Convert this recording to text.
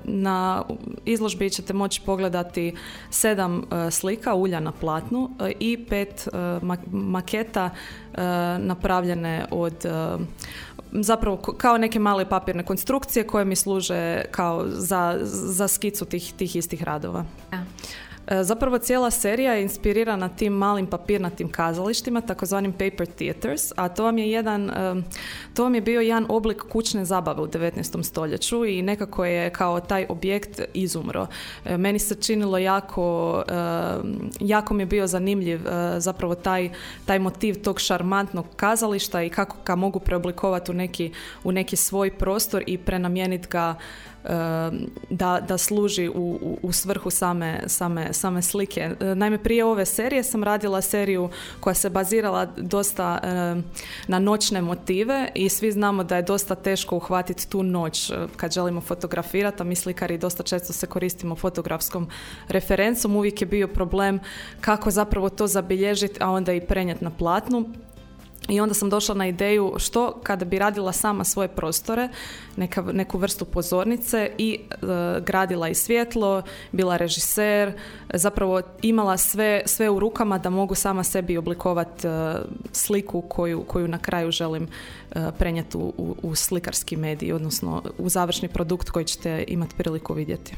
Na izložbi ćete moći pogledati 7 slika ulja na platnu i 5 maketa napravljene od zapravo kao neke male papirne konstrukcije koje mi služe kao za skicu tih istih radova. Ja. Zapravo cijela serija je inspirirana tim malim papirnatim kazalištima, takozvanim paper theaters, a to vam je bio jedan oblik kućne zabave u 19. stoljeću i nekako je kao taj objekt izumro. Meni se činilo jako mi je bio zanimljiv zapravo taj motiv tog šarmantnog kazališta i kako ga mogu preoblikovati u neki svoj prostor i prenamijeniti ga da služi u svrhu same slike. Naime, prije ove serije sam radila seriju koja se bazirala dosta na noćne motive i svi znamo da je dosta teško uhvatiti tu noć kad želimo fotografirati, a mi slikari dosta često se koristimo fotografskom referencom. Uvijek je bio problem kako zapravo to zabilježiti, a onda i prenijeti na platnu. I onda sam došla na ideju što kada bi radila sama svoje prostore, neku vrstu pozornice i gradila i svjetlo, bila režiser, zapravo imala sve u rukama da mogu sama sebi oblikovati sliku koju na kraju želim prenijeti u slikarski medij, odnosno u završni produkt koji ćete imati priliku vidjeti.